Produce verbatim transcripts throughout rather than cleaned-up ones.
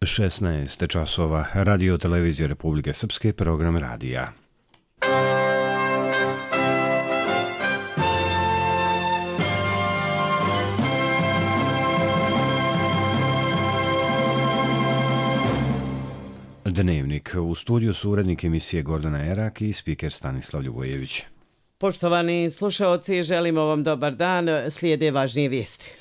šesnaest časova, Radio televizije Republike Srpske, program radija. Dnevnik. U studiju su urednik emisije Gordana Erak i spiker Stanislav Ljubojević. Poštovani slušaoci, želimo vam dobar dan. Slijede važnije vijesti.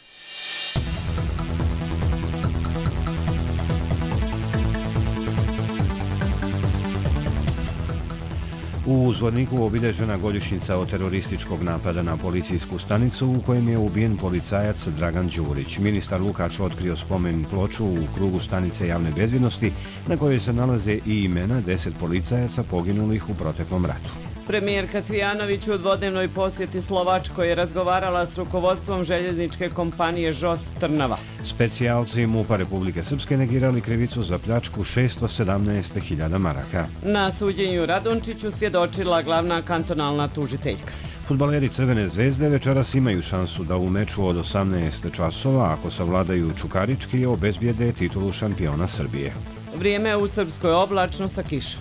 U Zvorniku obilježena godišnjica od terorističkog napada na policijsku stanicu u kojem je ubijen policajac Dragan Đurić. Ministar Lukač otkrio spomen ploču u krugu stanice javne bezbjednosti na kojoj se nalaze i imena deset policajaca poginulih u proteklom ratu. Premijerka Cvijanović u dvodnevnoj posjeti Slovačkoj je razgovarala s rukovodstvom željezničke kompanije Žos Trnava. Specijalci MUP-a Republike Srpske negirali krivicu za pljačku šesto sedamnaest hiljada maraka. Na suđenju Radončiću svjedočila glavna kantonalna tužiteljka. Fudbaleri Crvene zvezde večeras imaju šansu da u meču od osamnaest časova, ako savladaju Čukarički, obezbijede titulu šampiona Srbije. Vrijeme u Srpskoj oblačno sa kišom.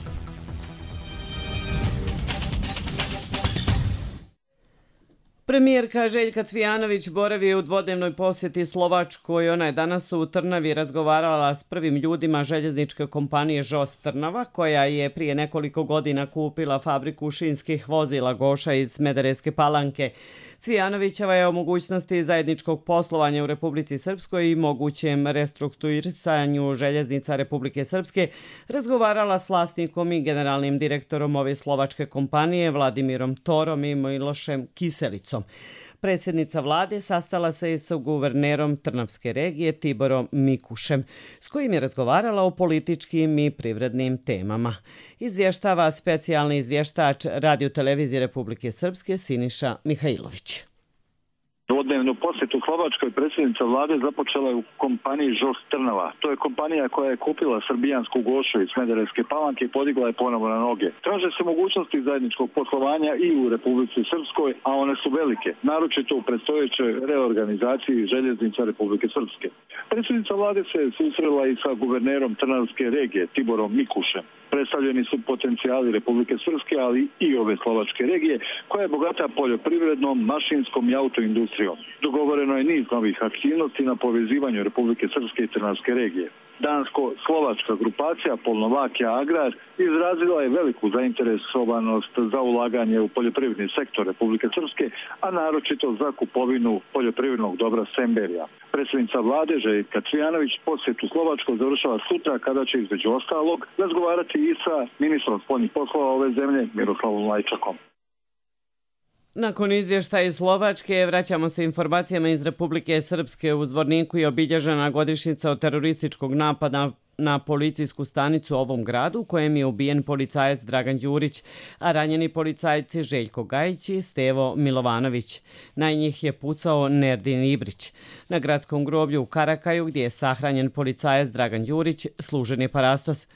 Premijerka Željka Cvijanović boravi u dvodnevnoj posjeti Slovačkoj. Ona je danas u Trnavi razgovarala s prvim ljudima željezničke kompanije Žos Trnava, koja je prije nekoliko godina kupila fabriku šinskih vozila Goša iz Smederevske Palanke. Cvijanovićeva je o mogućnosti zajedničkog poslovanja u Republici Srpskoj i mogućem restrukturisanju željeznica Republike Srpske razgovarala s vlasnikom i generalnim direktorom ove slovačke kompanije Vladimirom Torom i Milošem Kiselicom. Predsjednica vlade sastala se i sa guvernerom Trnavske regije Tiborom Mikušem, s kojim je razgovarala o političkim i privrednim temama. Izvještava specijalni izvještač Radio televizije Republike Srpske Siniša Mihajlović. Dvodnevnu posjetu Slovačkoj predsjednica vlade započela je u kompaniji Žos Trnava. To je kompanija koja je kupila srbijansku Gošu iz Smederevske Palanke i podigla je ponovo na noge. Traže se mogućnosti zajedničkog poslovanja i u Republici Srpskoj, a one su velike, naročito u predstojećoj reorganizaciji željeznica Republike Srpske. Predsjednica vlade se susrela i sa guvernerom Trnavske regije Tiborom Mikušem. Predstavljeni su potencijali Republike Srpske, ali i ove slovačke regije, koja je bogata poljoprivrednom, mašinskom i autoindustrijom. Dogovoreno je niz novih aktivnosti na povezivanju Republike Srpske i Trnavske regije. Dansko-slovačka grupacija Polnovakija Agrar izrazila je veliku zainteresovanost za ulaganje u poljoprivredni sektor Republike Srpske, a naročito za kupovinu poljoprivrednog dobra Semberija. Predsjednica vlade Željka Cvijanović posjetu Slovačkoj završava sutra, kada će između ostalog razgovarati i sa ministrom spoljnih poslova ove zemlje Miroslavom Lajčakom. Nakon izvještaja iz Slovačke vraćamo se informacijama iz Republike Srpske. U Zvorniku je obilježena godišnjica od terorističkog napada na policijsku stanicu u ovom gradu, u kojem je ubijen policajac Dragan Đurić, a ranjeni policajci Željko Gajić i Stevo Milovanović. Na njih je pucao Nerdin Ibrić. Na gradskom groblju u Karakaju, gdje je sahranjen policajac Dragan Đurić, služen je parastos.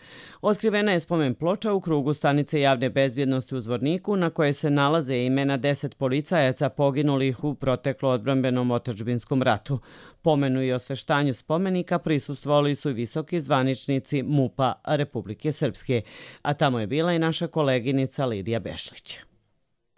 Otkrivena je spomen ploča u krugu stanice javne bezbjednosti u Zvorniku, na koje se nalaze imena deset policajaca poginulih u proteklo odbrambenom otadžbinskom ratu. Pomenu i osveštanju spomenika prisustvovali su i visoki zvaničnici MUP-a Republike Srpske, a tamo je bila i naša koleginica Lidija Bešlić.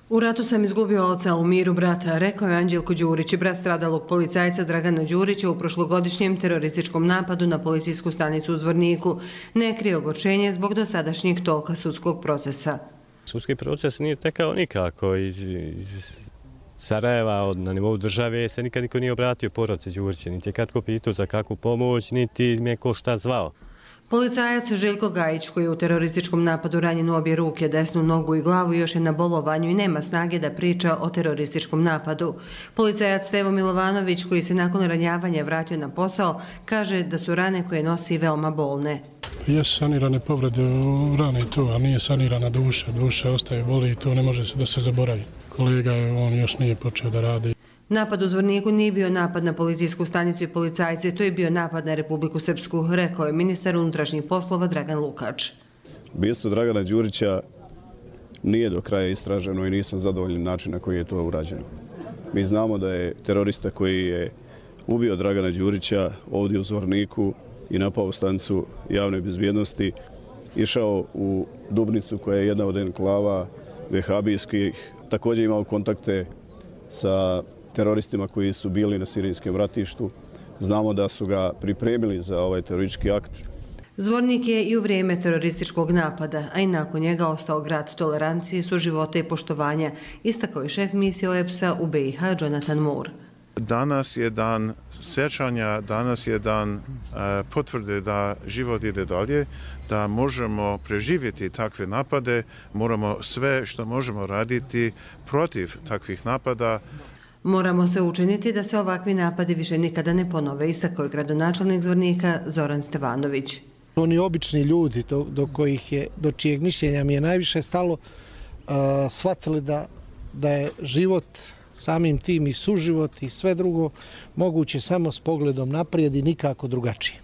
U ratu sam izgubio oca, u miru brata, rekao je Anđelko Đurić, brat stradalog policajca Dragana Đurića u prošlogodišnjem terorističkom napadu na policijsku stanicu u Zvorniku. Ne krije ogorčenje zbog dosadašnjeg toka sudskog procesa. Sudski proces nije tekao nikako. Iz, iz Sarajeva na nivou države se nikad niko nije obratio porodici Đurića, niti je katko pitao za kakvu pomoć, niti me ko šta zvao. Policajac Željko Gajić, koji je u terorističkom napadu ranjen u obje ruke, desnu nogu i glavu, još je na bolovanju i nema snage da priča o terorističkom napadu. Policajac Stevo Milovanović, koji se nakon ranjavanja vratio na posao, kaže da su rane koje nosi veoma bolne. Jesu sanirane povrede u rane i to, a nije sanirana duša. Duša ostaje boli i to ne može da se zaboravi. Kolega, on još nije počeo da radi. Napad u Zvorniku nije bio napad na policijsku stanicu i policajce, to je bio napad na Republiku Srpsku, rekao je ministar unutrašnjih poslova Dragan Lukač. Ubistvo Dragana Đurića nije do kraja istraženo i nisam zadovoljan način na koji je to urađeno. Mi znamo da je terorista koji je ubio Dragana Đurića ovdje u Zvorniku i napao stanicu javne bezbjednosti, išao u Dubnicu koja je jedna od enklava vehabijskih, također imao kontakte sa teroristima koji su bili na sirijskom ratištu. Znamo da su ga pripremili za ovaj teroristički akt. Zvornik je i u vrijeme terorističkog napada, a i nakon njega ostao grad tolerancije, suživota i poštovanja, istakao je šef misije O E B S-a u B i H Jonathan Moore. Danas je dan sjećanja, danas je dan uh, potvrde da život ide dalje, da možemo preživjeti takve napade, moramo sve što možemo raditi protiv takvih napada. Moramo se učiniti da se ovakvi napadi više nikada ne ponove, istakao je gradonačelnik Zvornika Zoran Stevanović. Oni obični ljudi do, do kojih je, do čijeg mišljenja mi je najviše stalo, uh, shvatili da, da je život samim tim i suživot i sve drugo moguće samo s pogledom naprijed i nikako drugačije.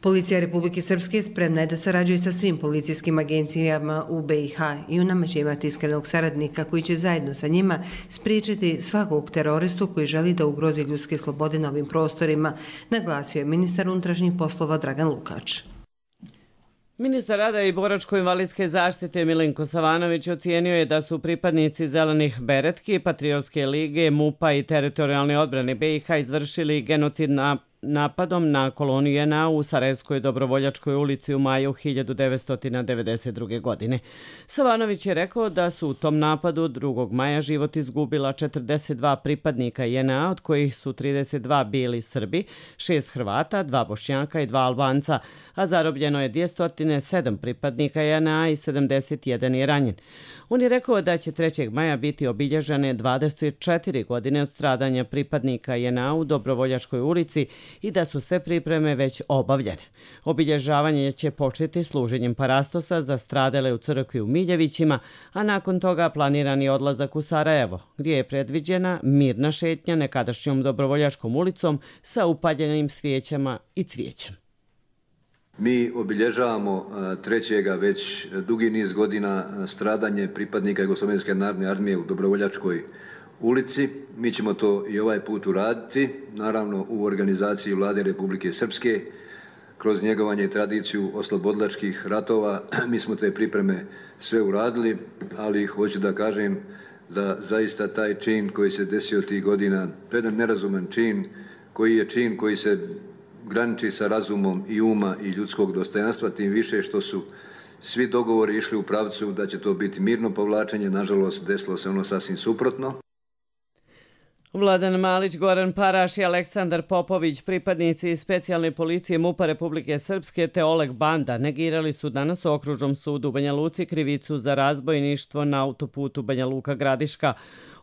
Policija Republike Srpske spremna je da sarađuje sa svim policijskim agencijama u B i H i u nama će imati iskrenog saradnika koji će zajedno sa njima spriječiti svakog teroristu koji želi da ugrozi ljudske slobode na ovim prostorima, naglasio je ministar unutrašnjih poslova Dragan Lukač. Ministar rada i boračko-invalidske zaštite Milenko Savanović ocijenio je da su pripadnici Zelenih beretki, Patriotske lige, MUP-a i teritorijalne odbrane B i H izvršili genocid na napadom na koloniju J N A u Sarajevskoj Dobrovoljačkoj ulici u maju hiljadu devetsto devedeset druge. godine. Savanović je rekao da su u tom napadu drugog maja život izgubila četrdeset dva pripadnika J N A, od kojih su trideset dva bili Srbi, šest Hrvata, dva Bošnjaka i dva Albanca, a zarobljeno je dvjesto sedam pripadnika J N A i sedamdeset jedan je ranjen. On je rekao da će trećeg maja biti obilježene dvadeset četiri godine od stradanja pripadnika J N A u Dobrovoljačkoj ulici i da su sve pripreme već obavljene. Obilježavanje će početi služenjem parastosa za stradale u crkvi u Miljevićima, a nakon toga planiran je odlazak u Sarajevo, gdje je predviđena mirna šetnja nekadašnjom Dobrovoljačkom ulicom sa upaljenim svijećama i cvijećem. Mi obilježavamo trećega već dugi niz godina stradanje pripadnika Jugoslovenske narodne armije u Dobrovoljačkoj ulici. Mi ćemo to i ovaj put uraditi, naravno u organizaciji Vlade Republike Srpske, kroz njegovanje i tradiciju oslobodilačkih ratova. Mi smo te pripreme sve uradili, ali hoću da kažem da zaista taj čin koji se desio tih godina, to je jedan nerazuman čin, koji je čin koji se graniči sa razumom i uma i ljudskog dostojanstva, tim više što su svi dogovori išli u pravcu da će to biti mirno povlačenje. Nažalost, desilo se ono sasvim suprotno. Vladan Malić, Goran Paraš i Aleksandar Popović, pripadnici specijalne policije MUP-a Republike Srpske te Oleg Banda, negirali su danas u Okružnom sudu u Banja Luci krivicu za razbojništvo na autoputu Banja Luka-Gradiška.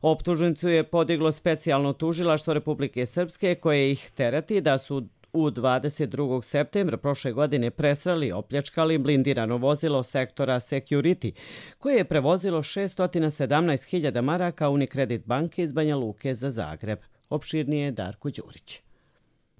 Optužnicu je podiglo specijalno tužilaštvo Republike Srpske koje ih tereti da su u dvadeset drugog septembra prošle godine presrali i opljačkali blindirano vozilo sektora Security, koje je prevozilo šesto sedamnaest hiljada maraka Unicredit banke iz Banja Luke za Zagreb. Opširnije je Darko Đurić.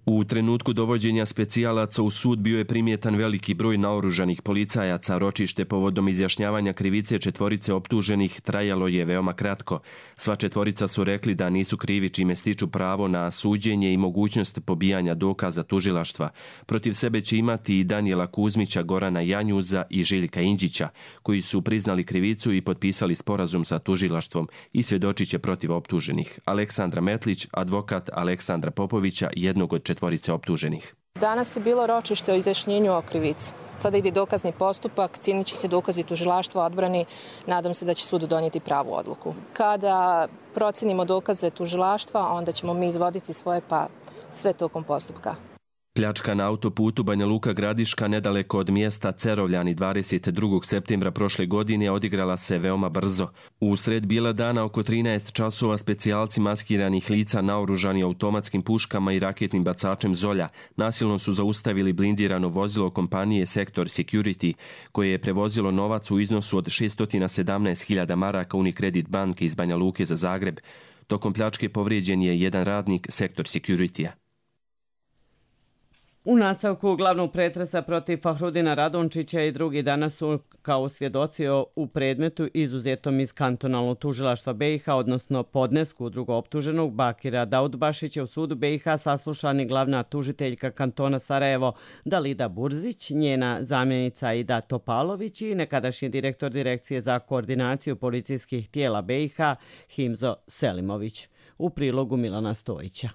U trenutku dovođenja specijalaca u sud bio je primjetan veliki broj naoružanih policajaca. Ročište povodom izjašnjavanja krivice četvorice optuženih trajalo je veoma kratko. Sva četvorica su rekli da nisu krivi, čime stiču pravo na suđenje i mogućnost pobijanja dokaza tužilaštva. Protiv sebe će imati i Danijela Kuzmića, Gorana Janjuza i Željka Inđića, koji su priznali krivicu i potpisali sporazum sa tužilaštvom i svjedočit će protiv optuženih. Aleksandra Metlić, advokat Aleksandra Popovića, jednog od četvorice optuženih. Danas je bilo ročište o izjašnjenju o krivici. Sada ide dokazni postupak, cijenit će se dokazi tužilaštva odbrani. Nadam se da će sud donijeti pravu odluku. Kada procenimo dokaze tužilaštva, onda ćemo mi izvoditi svoje, pa sve tokom postupka. Pljačka na autoputu Banja Luka-Gradiška nedaleko od mjesta Cerovljani dvadeset drugog septembra prošle godine odigrala se veoma brzo. U sred bijela dana oko trinaest časova specijalci maskiranih lica naoružani automatskim puškama i raketnim bacačem Zolja nasilno su zaustavili blindirano vozilo kompanije Sektor Security, koje je prevozilo novac u iznosu od šesto sedamnaest hiljada maraka Unicredit banke iz Banja Luke za Zagreb. Tokom pljačke povrijeđen je jedan radnik Sektor Security-a. U nastavku glavnog pretresa protiv Fahrudina Radončića i drugi danas su kao svjedoci u predmetu izuzetom iz kantonalnog tužilaštva B i H, odnosno podnesku drugooptuženog Bakira Daudbašića u sudu B i H saslušani glavna tužiteljka kantona Sarajevo Dalida Burzić, njena zamjenica Aida Topalović i nekadašnji direktor Direkcije za koordinaciju policijskih tijela B i H Himzo Selimović. U prilogu Milana Stojića.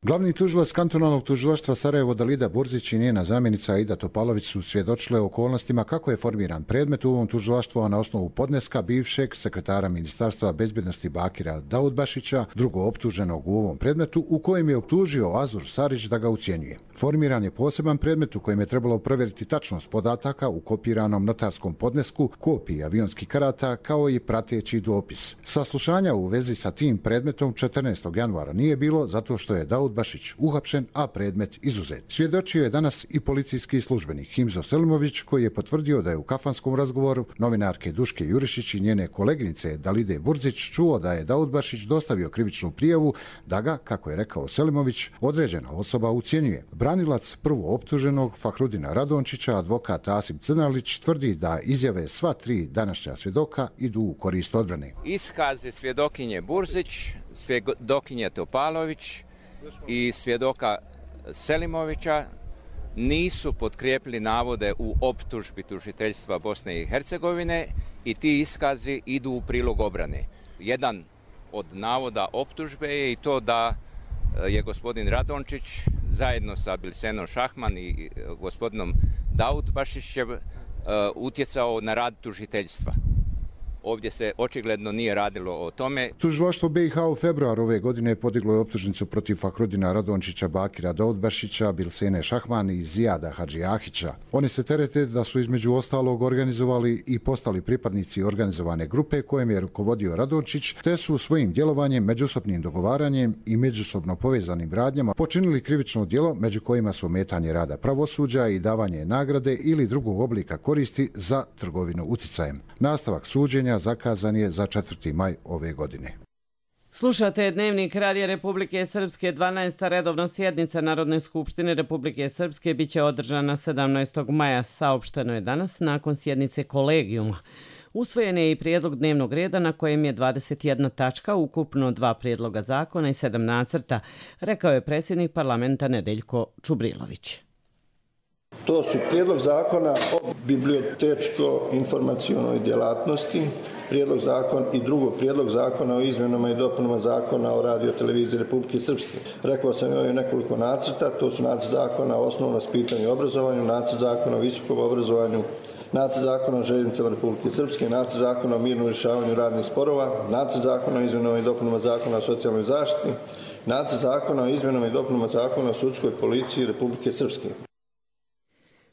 Glavni tužilac kantonalnog tužilaštva Sarajevo Dalida Burzić i njena zamjenica Aida Topalović su svjedočile okolnostima kako je formiran predmet u ovom tužilaštvu na osnovu podneska bivšeg sekretara Ministarstva bezbjednosti Bakira Daudbašića, drugo optuženog u ovom predmetu, u kojem je optužio Azur Sarić da ga ucjenjuje. Formiran je poseban predmet u kojem je trebalo provjeriti tačnost podataka u kopiranom notarskom podnesku, kopiji avionskih karata kao i prateći dopis. Saslušanja u vezi sa tim predmetom četrnaestog januara nije bilo zato što je Daudbašić uhapšen, a predmet izuzet. Svjedočio je danas i policijski službenik Himzo Selimović, koji je potvrdio da je u kafanskom razgovoru novinarke Duške Jurišić i njene koleginice Dalide Burzić čuo da je Daudbašić dostavio krivičnu prijavu da ga, kako je rekao Selimović, određena osoba ucjenjuje. Branilac prvo optuženog Fahrudina Radončića, advokat Asim Crnalić, tvrdi da izjave sva tri današnja svjedoka idu u korist odbrane. Iskaze svjedokinje Burzić, svjedokinje Topalović i svjedoka Selimovića nisu potkrijepili navode u optužbi tužiteljstva Bosne i Hercegovine i ti iskazi idu u prilog obrane. Jedan od navoda optužbe je i to da je gospodin Radončić zajedno sa Bilsenom Šahman i gospodinom Daudbašićem utjecao na rad tužiteljstva. Ovdje se očigledno nije radilo o tome. Tužilaštvo B i H u februar ove godine podiglo je optužnicu protiv Fahrudina Radončića, Bakira Daudbašića, Bilsene Šahman i Zijada Hadžijahića. Oni se terete da su između ostalog organizovali i postali pripadnici organizovane grupe kojem je rukovodio Radončić, te su svojim djelovanjem, međusobnim dogovaranjem i međusobno povezanim radnjama počinili krivično djelo, među kojima su ometanje rada pravosuđa i davanje nagrade ili drugog oblika koristi za trgovinu uticajem. Nastavak suđenja zakazan je za četvrti maj ove godine. Slušate Dnevnik Radija Republike Srpske. dvanaesta redovna sjednica Narodne skupštine Republike Srpske biće održana sedamnaestog maja. Saopšteno je danas nakon sjednice kolegijuma. Usvojen je i prijedlog dnevnog reda na kojem je dvadeset jedna tačka, ukupno dva prijedloga zakona i sedam nacrta, rekao je predsjednik parlamenta Nedeljko Čubrilović. To su prijedlog zakona o bibliotečko-informacionoj djelatnosti, prijedlog zakon i drugo prijedlog zakona o izmjenama i dopunama zakona o radioteleviziji Republike Srpske. Rekao sam imaju nekoliko nacrta, to su nacrt zakona o osnovnom vaspitanju i obrazovanju, nacrt zakona o visokom obrazovanju, nacrt zakona o željeznicama Republike Srpske, nacrt zakona o mirnom rješavanju radnih sporova, nacrt zakona o izmjenama i dopunama zakona o socijalnoj zaštiti, nacrt zakona o izmjenama i dopunama zakona o sudskoj policiji Republike Srpske.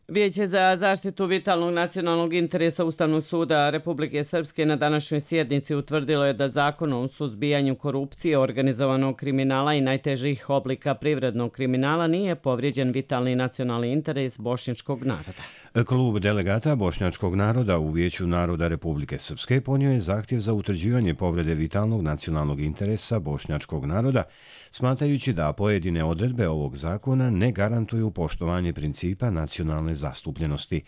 Vijeće za zaštitu vitalnog nacionalnog interesa Ustavnog suda Republike Srpske na današnjoj sjednici utvrdilo je da Zakonom o suzbijanju korupcije, organizovanog kriminala i najtežih oblika privrednog kriminala nije povrijeđen vitalni nacionalni interes bošnjačkog naroda. Klub delegata bošnjačkog naroda u Vijeću naroda Republike Srpske ponio je zahtjev za utvrđivanje povrede vitalnog nacionalnog interesa bošnjačkog naroda, smatrajući da pojedine odredbe ovog zakona ne garantuju poštovanje principa nacionalne zastupljenosti.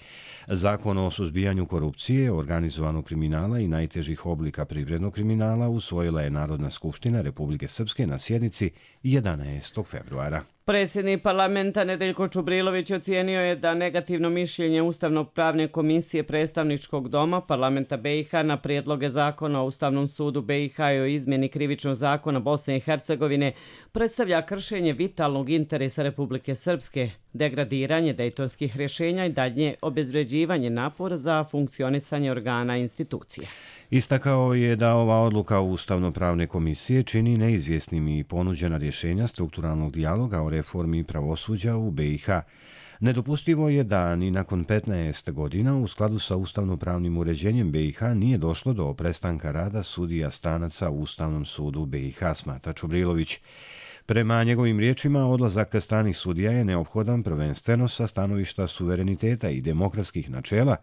Zakon o suzbijanju korupcije, organizovanog kriminala i najtežih oblika privrednog kriminala usvojila je Narodna skupština Republike Srpske na sjednici jedanaestog februara. Predsjednik parlamenta Nedeljko Čubrilović ocijenio je da negativno mišljenje Ustavno-pravne komisije predstavničkog doma parlamenta B i H na prijedloge zakona o Ustavnom sudu B i H i o izmjeni krivičnog zakona Bosne i Hercegovine predstavlja kršenje vitalnog interesa Republike Srpske, degradiranje dejtonskih rješenja i daljnje obezvređivanje napora za funkcionisanje organa i institucija. Istakao je da ova odluka Ustavno-pravne komisije čini neizvjesnim i ponuđena rješenja strukturalnog dijaloga o reformi pravosuđa u B i H. Nedopustivo je da ni nakon petnaest godina u skladu sa ustavno-pravnim uređenjem B i H nije došlo do prestanka rada sudija stranaca u Ustavnom sudu B i H, smatra Čubrilović. Prema njegovim riječima, odlazak stranih sudija je neophodan prvenstveno sa stanovišta suvereniteta i demokratskih načela,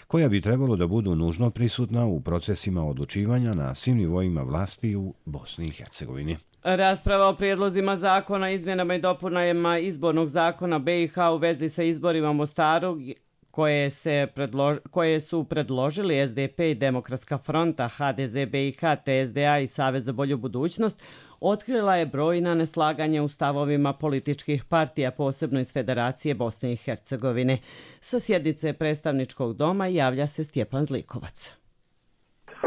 koja bi trebalo da budu nužno prisutna u procesima odlučivanja na svim nivoima vlasti u Bosni i Hercegovini. Rasprava o prijedlozima zakona, izmjenama i dopunama izbornog zakona B i H u vezi sa izborima u Mostaru koje, se predlož, koje su predložili S D P i Demokratska fronta, H D Z B i H, T S D A i Savez za bolju budućnost, otkrila je brojna neslaganja u stavovima političkih partija, posebno iz Federacije Bosne i Hercegovine. Sa sjednice predstavničkog doma javlja se Stjepan Zlikovac.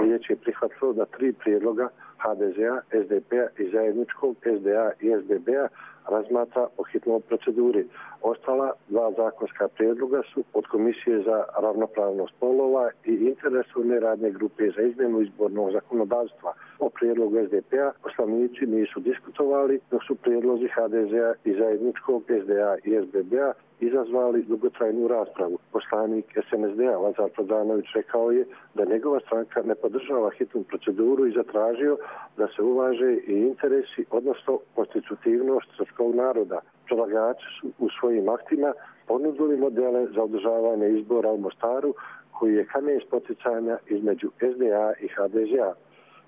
Vijeće je prihvatilo da tri prijedloga H D Z A, S D P-a i zajedničkog S D A i S B B-a razmatra po hitnoj proceduri. Ostala dva zakonska prijedloga su od Komisije za ravnopravnost spolova i interesovne radne grupe za izmjenu izbornog zakonodavstva. O prijedlogu S D P-a poslanici nisu diskutovali, dok su prijedlozi H D Z A i zajedničkog S D A i S B B-a izazvali dugotrajnu raspravu. Poslanik S N S D-a Lazar Prodanović rekao je da njegova stranka ne podržava hitnu proceduru i zatražio da se uvaže i interesi, odnosno konstitutivnost srpskog naroda. Predlagači su u svojim aktima ponudili modele za održavanje izbora u Mostaru, koji je kamen spoticanja između S D A i H D Z A.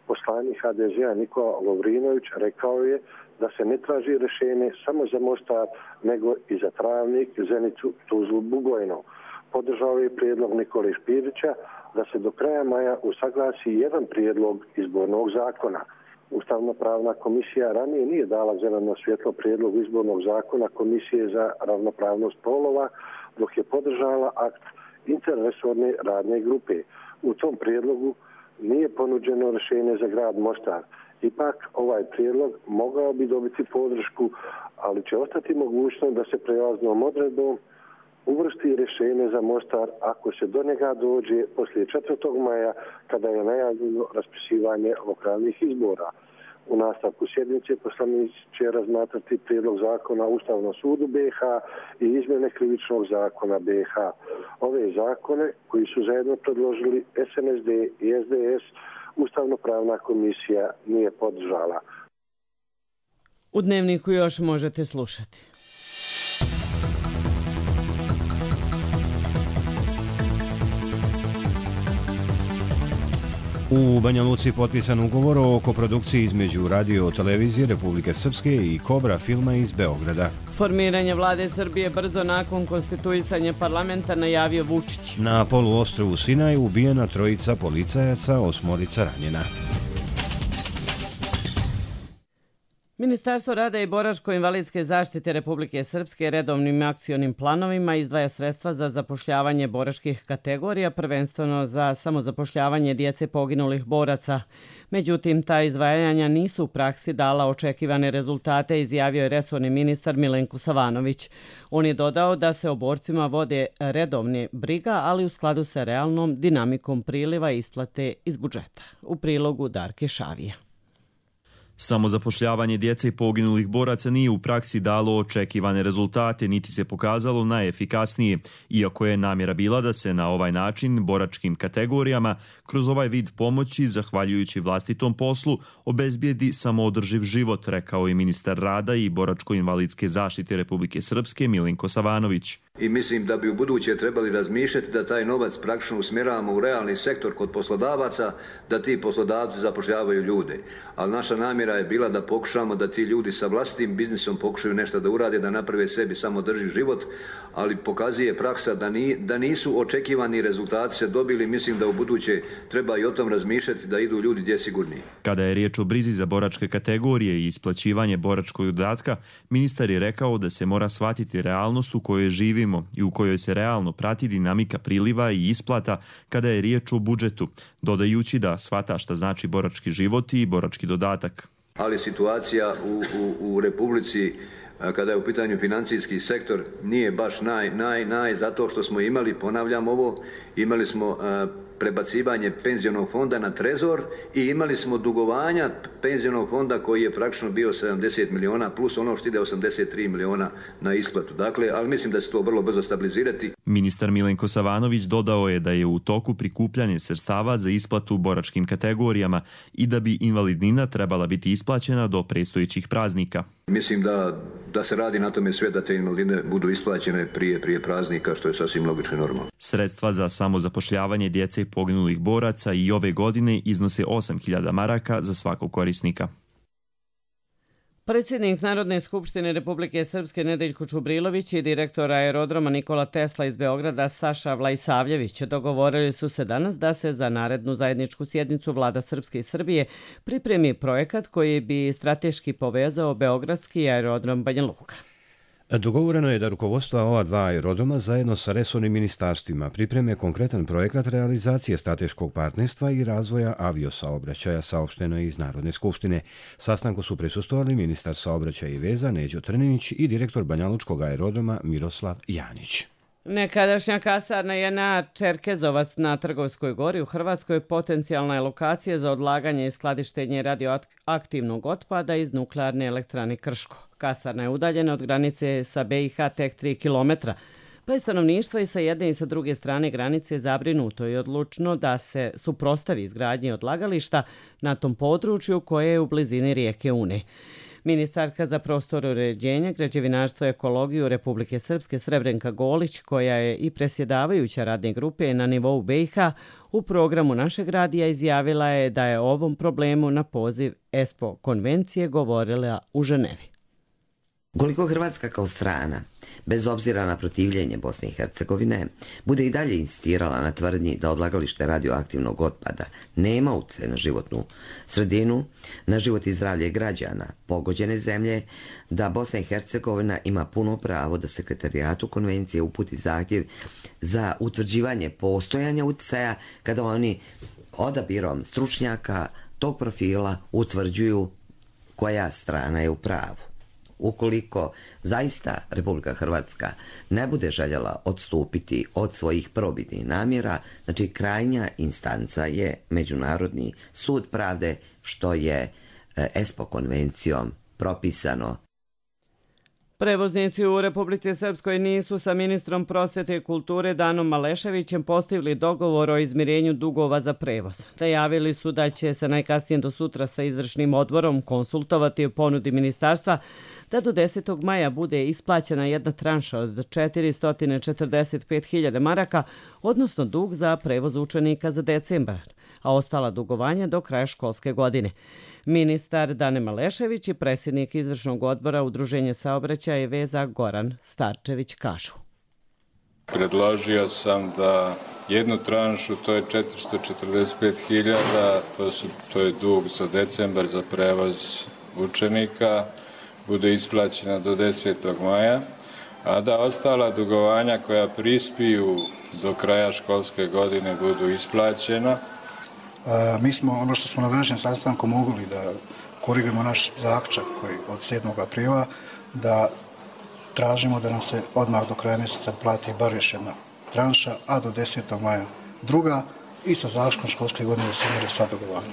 Poslanik H D Z A Nikola Lovrinović rekao je da se ne traži rješenje samo za Mostar, nego i za Travnik, Zenicu, Tuzlu, Bugojno. Podržao je prijedlog Nikole Špirića da se do kraja maja usaglasi jedan prijedlog izbornog zakona. Ustavno-pravna komisija ranije nije dala zeleno svjetlo prijedlogu izbornog zakona Komisije za ravnopravnost spolova, dok je podržala akt interresorne radne grupe. U tom prijedlogu nije ponuđeno rješenje za grad Mostar. Ipak ovaj prijedlog mogao bi dobiti podršku, ali će ostati mogućnost da se prijelaznom odredbom uvrsti rješenje za Mostar ako se do njega dođe poslije četvrtog maja, kada je najavljeno raspisivanje lokalnih izbora. U nastavku sjednice poslanici će razmatrati prijedlog zakona o Ustavnom sudu B i H i izmjene krivičnog zakona B i H. Ove zakone koji su zajedno predložili S N S D i S D S Ustavno-pravna komisija nije podržala. U Dnevniku još možete slušati. U Banja Luci potpisan ugovor o koprodukciji između Radio televizije Republike Srpske i Kobra filma iz Beograda. Formiranje vlade Srbije brzo nakon konstituisanja parlamenta najavio Vučić. Na poluostrvu Sinaj ubijena trojica policajaca, osmorica ranjena. Ministarstvo rada i boračko-invalidske zaštite Republike Srpske redovnim akcionim planovima izdvaja sredstva za zapošljavanje boračkih kategorija, prvenstveno za samozapošljavanje djece poginulih boraca. Međutim, ta izdvajanja nisu u praksi dala očekivane rezultate, izjavio je resorni ministar Milenko Savanović. On je dodao da se o borcima vode redovne briga, ali u skladu sa realnom dinamikom priliva isplate iz budžeta. U prilogu Darke Šavija. Samozapošljavanje djece i poginulih boraca nije u praksi dalo očekivane rezultate, niti se pokazalo najefikasnije, iako je namjera bila da se na ovaj način boračkim kategorijama kroz ovaj vid pomoći, zahvaljujući vlastitom poslu, obezbijedi samoodrživ život, rekao je ministar rada i boračko-invalidske zaštite Republike Srpske Milenko Savanović. I mislim da bi u buduće trebali razmišljati da taj novac praktično usmjeravamo u realni sektor kod poslodavaca, da ti poslodavci zapošljavaju ljude. Ali naša namjera je bila da pokušamo da ti ljudi sa vlastitim biznisom pokušaju nešto da urade, da naprave sebi samodrživ život, ali pokazuje praksa da, ni, da nisu očekivani rezultati se dobili. Mislim da u buduće treba i o tom razmišljati da idu ljudi gdje sigurniji. Kada je riječ o brizi za boračke kategorije i isplaćivanje boračkog dodatka, ministar je rekao da se mora shvatiti realnost u kojoj živimo i u kojoj se realno prati dinamika priliva i isplata kada je riječ o budžetu, dodajući da shvata šta znači borački život i borački dodatak. Ali situacija u, u, u Republici kada je u pitanju financijski sektor nije baš naj, naj, naj, zato što smo imali, ponavljam ovo, imali smo uh, prebacivanje penzionog fonda na trezor i imali smo dugovanja penzionog fonda koji je praktično bio sedamdeset miliona plus ono što ide osamdeset tri miliona na isplatu. Dakle, ali mislim da se to vrlo brzo stabilizirati. Ministar Milenko Savanović dodao je da je u toku prikupljanje sredstava za isplatu boračkim kategorijama i da bi invalidnina trebala biti isplaćena do predstojećih praznika. Mislim da, da se radi na tome sve da te invalidine budu isplaćene prije, prije praznika, što je sasvim logično i normalno. Sredstva za samozapošljavanje djece poginulih boraca i ove godine iznose osam hiljada maraka za svakog korisnika. Predsjednik Narodne skupštine Republike Srpske Nedeljko Čubrilović i direktor aerodroma Nikola Tesla iz Beograda Saša Vlajsavljević dogovorili su se danas da se za narednu zajedničku sjednicu Vlada Srpske i Srbije pripremi projekat koji bi strateški povezao beogradski aerodrom Banja Luka. Dogovoreno je da rukovodstva ova dva aerodroma zajedno sa resornim ministarstvima pripreme konkretan projekat realizacije strateškog partnerstva i razvoja aviosaobraćaja, saopšteno je iz Narodne skupštine. Sastanku su prisustvovali ministar saobraćaja i veza Neđo Trninić i direktor banjalučkog aerodroma Miroslav Janić. Nekadašnja kasarna je na Čerkezovac na Trgovskoj gori u Hrvatskoj potencijalna je lokacija za odlaganje i skladištenje radioaktivnog otpada iz nuklearne elektrane Krško. Kasarna je udaljena od granice sa B i H tek tri kilometra, pa je stanovništvo i sa jedne i sa druge strane granice zabrinuto i odlučno da se suprotstavi izgradnji odlagališta na tom području koje je u blizini rijeke Une. Ministarka za prostor uređenja, građevinarstvo i ekologiju Republike Srpske Srebrenka Golić, koja je i presjedavajuća radne grupe na nivou B i H, u programu našeg radija izjavila je da je o ovom problemu na poziv ESPO konvencije govorila u Ženevi. Ukoliko Hrvatska kao strana, bez obzira na protivljenje Bosne i Hercegovine, bude i dalje insistirala na tvrdnji da odlagalište radioaktivnog otpada nema utjecaj na životnu sredinu, na život i zdravlje građana pogođene zemlje, da Bosna i Hercegovina ima puno pravo da sekretarijatu konvencije uputi zahtjev za utvrđivanje postojanja utjecaja kada oni odabirom stručnjaka tog profila utvrđuju koja strana je u pravu. Ukoliko zaista Republika Hrvatska ne bude željela odstupiti od svojih prvobitnih namjera, znači krajnja instanca je Međunarodni sud pravde, što je ESPO konvencijom propisano. Prevoznici u Republici Srpskoj nisu sa ministrom prosvete i kulture Danom Maleševićem postigli dogovor o izmirenju dugova za prevoz. Najavili su da će se najkasnije do sutra sa izvršnim odborom konsultovati o ponudi ministarstva da do desetog maja bude isplaćena jedna tranša od četiristo četrdeset pet hiljada maraka, odnosno dug za prevoz učenika za decembar, a ostala dugovanja do kraja školske godine. Ministar Dane Malešević i predsjednik izvršnog odbora Udruženja saobraćaja i veza Goran Starčević kažu. Predložio sam da jednu tranšu, to je četiristo četrdeset pet hiljada, to, to je dug za decembar za prevoz učenika, bude isplaćena do desetog maja, a da ostala dugovanja koja prispiju do kraja školske godine budu isplaćena. A, mi smo, ono što smo na današnjem sastanku mogli da korigujemo naš zaključak koji od sedmog aprila, da tražimo da nam se odmah do kraja mjeseca plati bar još jedna tranša, a do desetog maja druga i sa završkom školske godine da se mire sva dugovanja.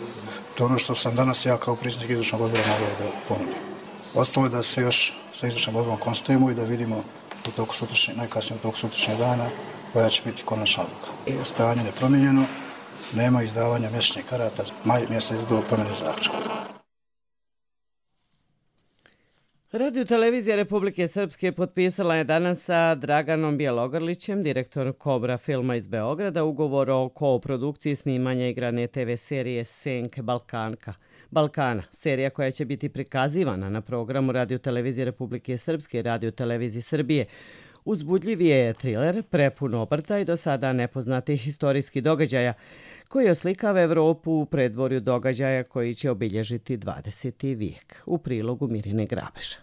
To je ono što sam danas ja kao predsjednik izvršnog odbora mogao da ponudim. Ostalo je da se još sa izvršnim odborom konstatujemo i da vidimo u toku sutrašnje, najkasnije u toku sutrašnjeg dana koja će biti konačna odluka. Stanje nepromijenjeno, nema izdavanja mjesečnih karata, maj mjesec do promjene zaključka. Radio televizija Republike Srpske potpisala je danas sa Draganom Bjelogrlićem, direktor Kobra filma iz Beograda, ugovor o kooprodukciji snimanja igrane te ve serije Senke Balkanka. Balkana, serija koja će biti prikazivana na programu Radio televizije Republike Srpske i Radio televizije Srbije. Uzbudljiv je triler, prepun obrta i do sada nepoznatih historijskih događaja, koji oslikava Evropu u predvorju događaja koji će obilježiti dvadeseti vijek. U prilogu Mirine Grabeša.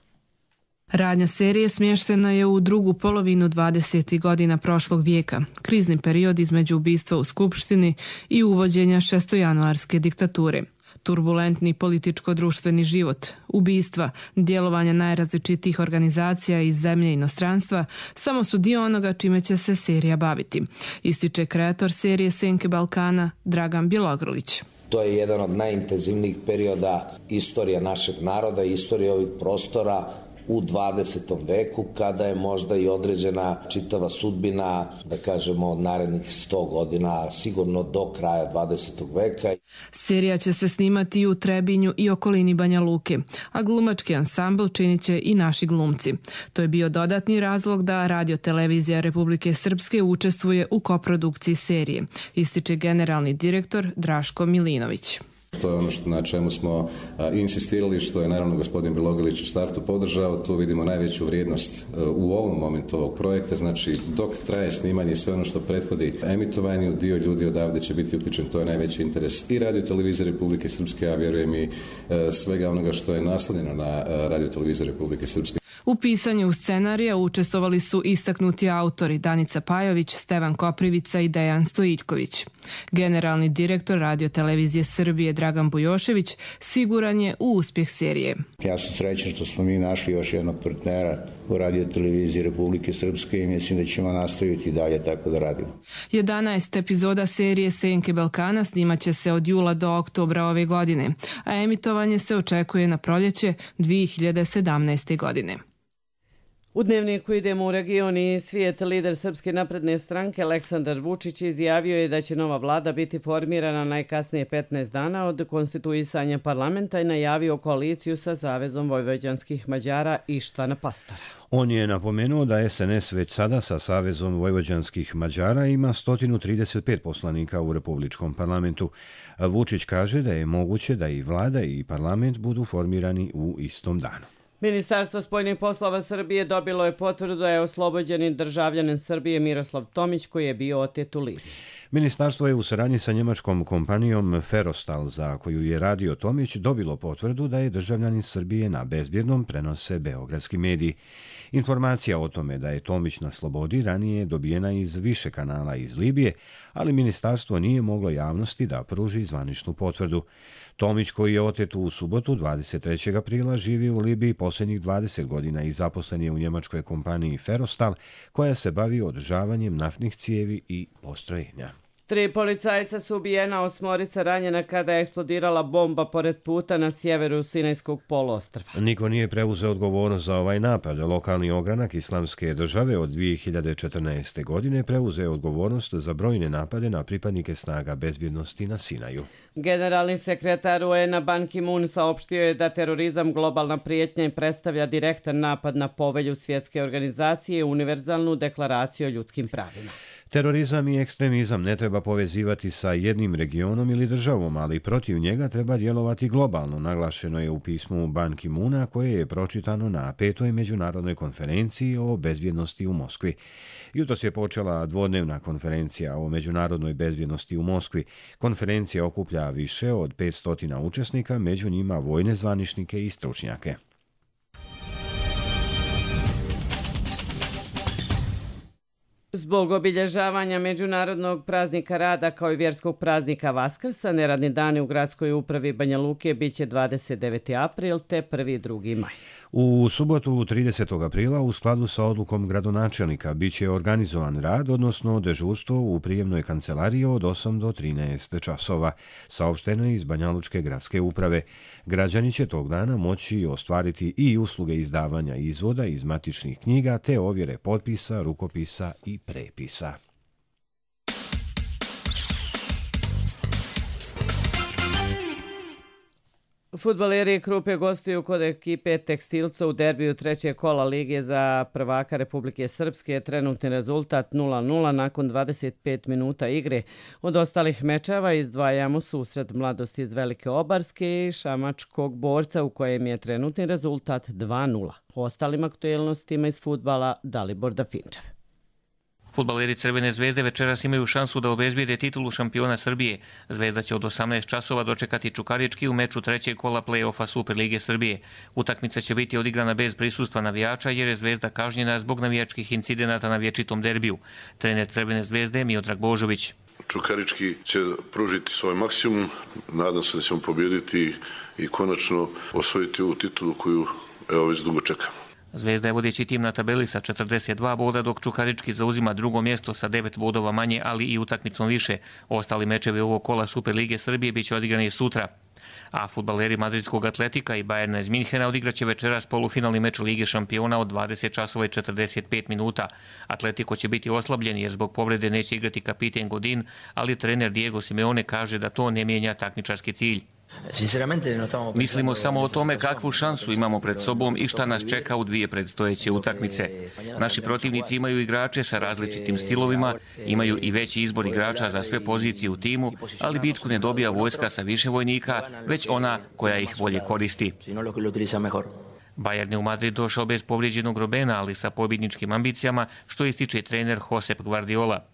Radnja serije smještena je u drugu polovinu dvadesetih godina prošlog vijeka, krizni period između ubistva u Skupštini i uvođenja šestojanuarske diktature. Turbulentni političko-društveni život, ubistva, djelovanja najrazličitijih organizacija iz zemlje i inostranstva samo su dio onoga čime će se serija baviti, ističe kreator serije Senke Balkana Dragan Bjelogrlić. To je jedan od najintenzivnijih perioda istorije našeg naroda i istorije ovih prostora u dvadesetom veku, kada je možda i određena čitava sudbina, da kažemo, od narednih sto godina, sigurno do kraja dvadesetog veka. Serija će se snimati u Trebinju i okolini Banja Luke, a glumački ansambl činit će i naši glumci. To je bio dodatni razlog da Radio televizija Republike Srpske učestvuje u koprodukciji serije, ističe generalni direktor Draško Milinović. To je ono što, na čemu smo a, insistirali, što je naravno gospodin Bilogalić u startu podržao. Tu vidimo najveću vrijednost a, u ovom momentu ovog projekta. Znači, dok traje snimanje i sve ono što prethodi emitovanju, dio ljudi odavde će biti uključen. To je najveći interes i Radio televizije Republike Srpske, a vjerujem i a, svega onoga što je naslonjeno na a, Radio televizije Republike Srpske. U pisanju scenarija učestvovali su istaknuti autori Danica Pajović, Stevan Koprivica i Dejan Stojiljković. Generalni direktor Radio televizije Srbije Dragan Bujošević siguran je u uspjeh serije. Ja sam srećan što smo mi našli još jednog partnera u Radio televiziji Republike Srpske i mislim da ćemo nastaviti dalje tako da radimo. jedanaest epizoda serije Senke Balkana snimat će se od jula do oktobra ove godine, a emitovanje se očekuje na proljeće dvije hiljade sedamnaeste. godine. U Dnevniku idemo u region i svijet. Lider Srpske napredne stranke Aleksandar Vučić izjavio je da će nova vlada biti formirana najkasnije petnaest dana od konstituisanja parlamenta i najavio koaliciju sa Savezom vojvođanskih Mađara Ištvana Pastora. On je napomenuo da es en es već sada sa Savezom vojvođanskih Mađara ima sto trideset pet poslanika u Republičkom parlamentu. Vučić kaže da je moguće da i vlada i parlament budu formirani u istom danu. Ministarstvo spoljnih poslova Srbije dobilo je potvrdu da je oslobođeni državljanin Srbije Miroslav Tomić koji je bio otet u Libiji. Ministarstvo je u saradnji sa njemačkom kompanijom Ferostal, za koju je radio Tomić, dobilo potvrdu da je državljanin Srbije na bezbjednom, prenose beogradski mediji. Informacija o tome da je Tomić na slobodi ranije dobijena iz više kanala iz Libije, ali ministarstvo nije moglo javnosti da pruži zvaničnu potvrdu. Tomić, koji je otet u subotu dvadeset trećeg aprila, živi u Libiji posljednjih dvadeset godina i zaposlen je u njemačkoj kompaniji Ferostal, koja se bavi održavanjem naftnih cijevi i postrojenja. Tri policajca su ubijena, osmorica ranjena kada je eksplodirala bomba pored puta na sjeveru Sinajskog poluostrva. Niko nije preuzeo odgovornost za ovaj napad. Lokalni ogranak Islamske države od dvije hiljade četrnaeste. godine preuzeo odgovornost za brojne napade na pripadnike snaga bezbjednosti na Sinaju. Generalni sekretar U N-a Ban Ki-moon saopštio je da terorizam globalna prijetnja i predstavlja direktan napad na povelju svjetske organizacije i univerzalnu deklaraciju o ljudskim pravima. Terorizam i ekstremizam ne treba povezivati sa jednim regionom ili državom, ali protiv njega treba djelovati globalno, naglašeno je u pismu Ban Ki-moona koje je pročitano na petoj međunarodnoj konferenciji o bezbjednosti u Moskvi. Jutros je počela dvodnevna konferencija o međunarodnoj bezbjednosti u Moskvi. Konferencija okuplja više od petsto učesnika, među njima vojne zvaničnike i stručnjake. Zbog obilježavanja Međunarodnog praznika rada kao i vjerskog praznika Vaskrsa, neradni dani u gradskoj upravi Banja Luke biće dvadeset deveti april te prvi i drugi maj. U subotu tridesetog aprila u skladu sa odlukom gradonačelnika biće organizovan rad, odnosno dežurstvo u prijemnoj kancelariji od osam do trinaest časova, saopšteno je iz Banjalučke gradske uprave. Građani će tog dana moći ostvariti i usluge izdavanja izvoda iz matičnih knjiga te ovjere potpisa, rukopisa i prepisa. Fudbaleri Krupe gostuju kod ekipe Tekstilca u derbiju trećeg kola Lige za prvaka Republike Srpske. Trenutni rezultat nula nula nakon dvadeset pet minuta igre. Od ostalih mečeva izdvajamo susret Mladosti iz Velike Obarske i Šamačkog Borca u kojem je trenutni rezultat dva nula. O ostalim aktuelnostima iz fudbala Dalibor Dafinčev. Fudbaleri Crvene zvezde večeras imaju šansu da obezbijede titulu šampiona Srbije. Zvezda će od osamnaest časova dočekati Čukarički u meču trećeg kola play-offa Superlige Srbije. Utakmica će biti odigrana bez prisustva navijača jer je Zvezda kažnjena zbog navijačkih incidenata na vječitom derbiju. Trener Crvene zvezde Miodrag Božović. Čukarički će pružiti svoj maksimum. Nadam se da ćemo pobijediti i konačno osvojiti ovu titulu koju evo već dugo čekamo. Zvezda je vodeći tim na tabeli sa četrdeset dva boda, dok Čukarički zauzima drugo mjesto sa devet bodova manje, ali i utakmicom više. Ostali mečevi ovog kola Superlige Srbije biće odigrani sutra. A fudbaleri Madridskog Atletika i Bajerna iz Minhena odigraće večeras polufinalni meč Lige šampiona od dvadeset časova i četrdeset pet minuta. Atletiko će biti oslabljen jer zbog povrede neće igrati kapiten Godin, ali trener Diego Simeone kaže da to ne mijenja takmičarski cilj. Mislimo samo o tome kakvu šansu imamo pred sobom i šta nas čeka u dvije predstojeće utakmice. Naši protivnici imaju igrače sa različitim stilovima, imaju i veći izbor igrača za sve pozicije u timu, ali bitku ne dobija vojska sa više vojnika, već ona koja ih bolje koristi. Bayern je u Madrid došao bez povrijeđenog Robena, ali sa pobjedničkim ambicijama, što ističe trener Josep Guardiola.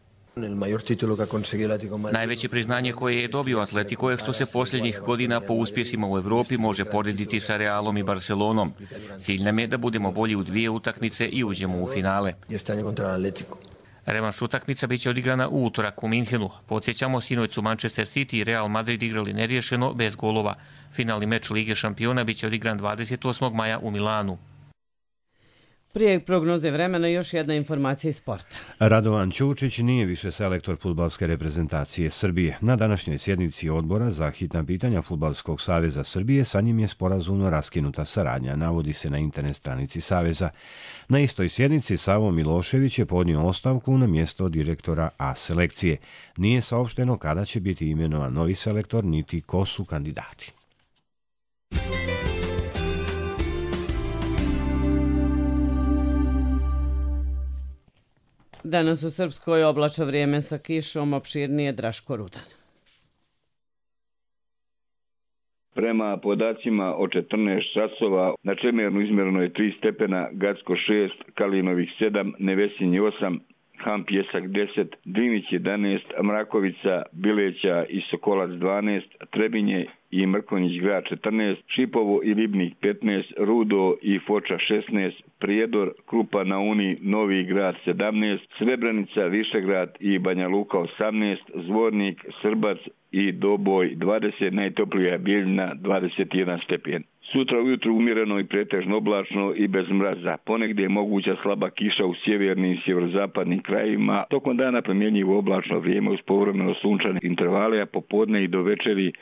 Najveće priznanje koje je dobio Atletico je što se posljednjih godina po uspjesima u Europi može porediti sa Realom i Barcelonom. Cilj nam je da budemo bolji u dvije utakmice i uđemo u finale. Revanš utakmica biće odigrana u utorak u Minhenu. Podsjećamo, sinoć su Manchester City i Real Madrid igrali neriješeno bez golova. Finalni meč Lige šampiona biće odigran dvadeset osmog maja u Milanu. Prije prognoze vremena još jedna informacija iz sporta. Radovan Ćučić nije više selektor fudbalske reprezentacije Srbije. Na današnjoj sjednici odbora za hitna pitanja Fudbalskog saveza Srbije sa njim je sporazumno raskinuta saradnja, navodi se na internet stranici Saveza. Na istoj sjednici Savo Milošević je podnio ostavku na mjesto direktora A selekcije. Nije saopšteno kada će biti imenovan novi selektor niti ko su kandidati. Danas u Srpskoj oblačno vrijeme sa kišom, opširnije Draško Rudan. Prema podacima o četrnaest časova na Čemernu izmjereno je tri stepena, Gacko šest, Kalinovih sedam, Nevesinji osam, Ham Pjesak deset, Drinić jedanaest, Mrakovica, Bileća i Sokolac dvanaest, Trebinje i Mrkonjić grad četrnaest, Šipovo i Ribnik petnaest, Rudo i Foča šesnaest, Prijedor, Krupa na Uni, Novi grad sedamnaest, Srebrenica, Višegrad i Banja Luka osamnaest, Zvornik, Srbac i Doboj dvadeset, najtoplija Bijeljina dvadeset jedan stepen. Sutra ujutru umjereno i pretežno oblačno i bez mraza. Ponegdje je moguća slaba kiša u sjevernim i sjeverozapadnim krajevima. Tokom dana promjenjivo oblačno vrijeme uz povremeno sunčane intervale, a popodne i do večeri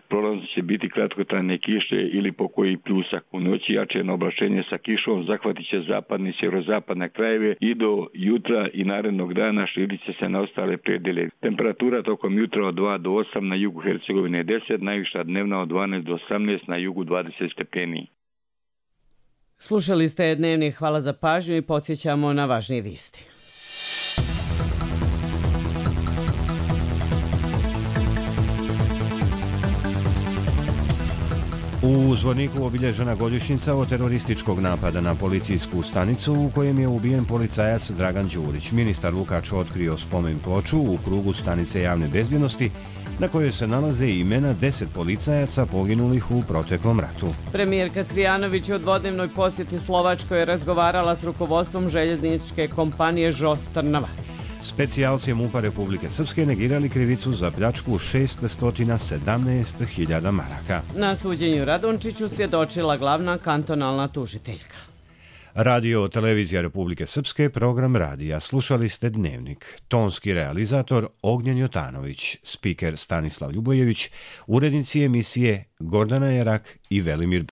prolazno će biti kratkotrajne kiše ili pokoji pljusak. U noći jačeno oblačenje sa kišom zahvatit će zapadne i sjeverozapadne krajeve i do jutra i narednog dana širit će se na ostale predjele. Temperatura tokom jutra od dva do osam, na jugu Hercegovine deset, najviša dnevna od dvanaest do osamnaest, na jugu dvadeset stepeni. Slušali ste Dnevnik, hvala za pažnju i podsjećamo na važnije vijesti. U Zvorniku obilježena godišnjica od terorističkog napada na policijsku stanicu u kojem je ubijen policajac Dragan Đurić. Ministar Lukač otkrio spomen ploču u krugu stanice javne bezbjednosti na kojoj se nalaze imena deset policajaca poginulih u proteklom ratu. Premijerka Cvijanović u dvodnevnoj posjeti Slovačkoj je razgovarala s rukovodstvom željezničke kompanije Žos Trnava. Specijalci MUP-a Republike Srpske negirali krivicu za pljačku šeststo sedamnaest hiljada maraka. Na suđenju Radončiću svjedočila glavna kantonalna tužiteljka. Radio Televizija Republike Srpske, program radija. Slušali ste Dnevnik. Tonski realizator Ognjen Jotanović, spiker Stanislav Ljubojević, urednici emisije Gordana Jerak i Velimir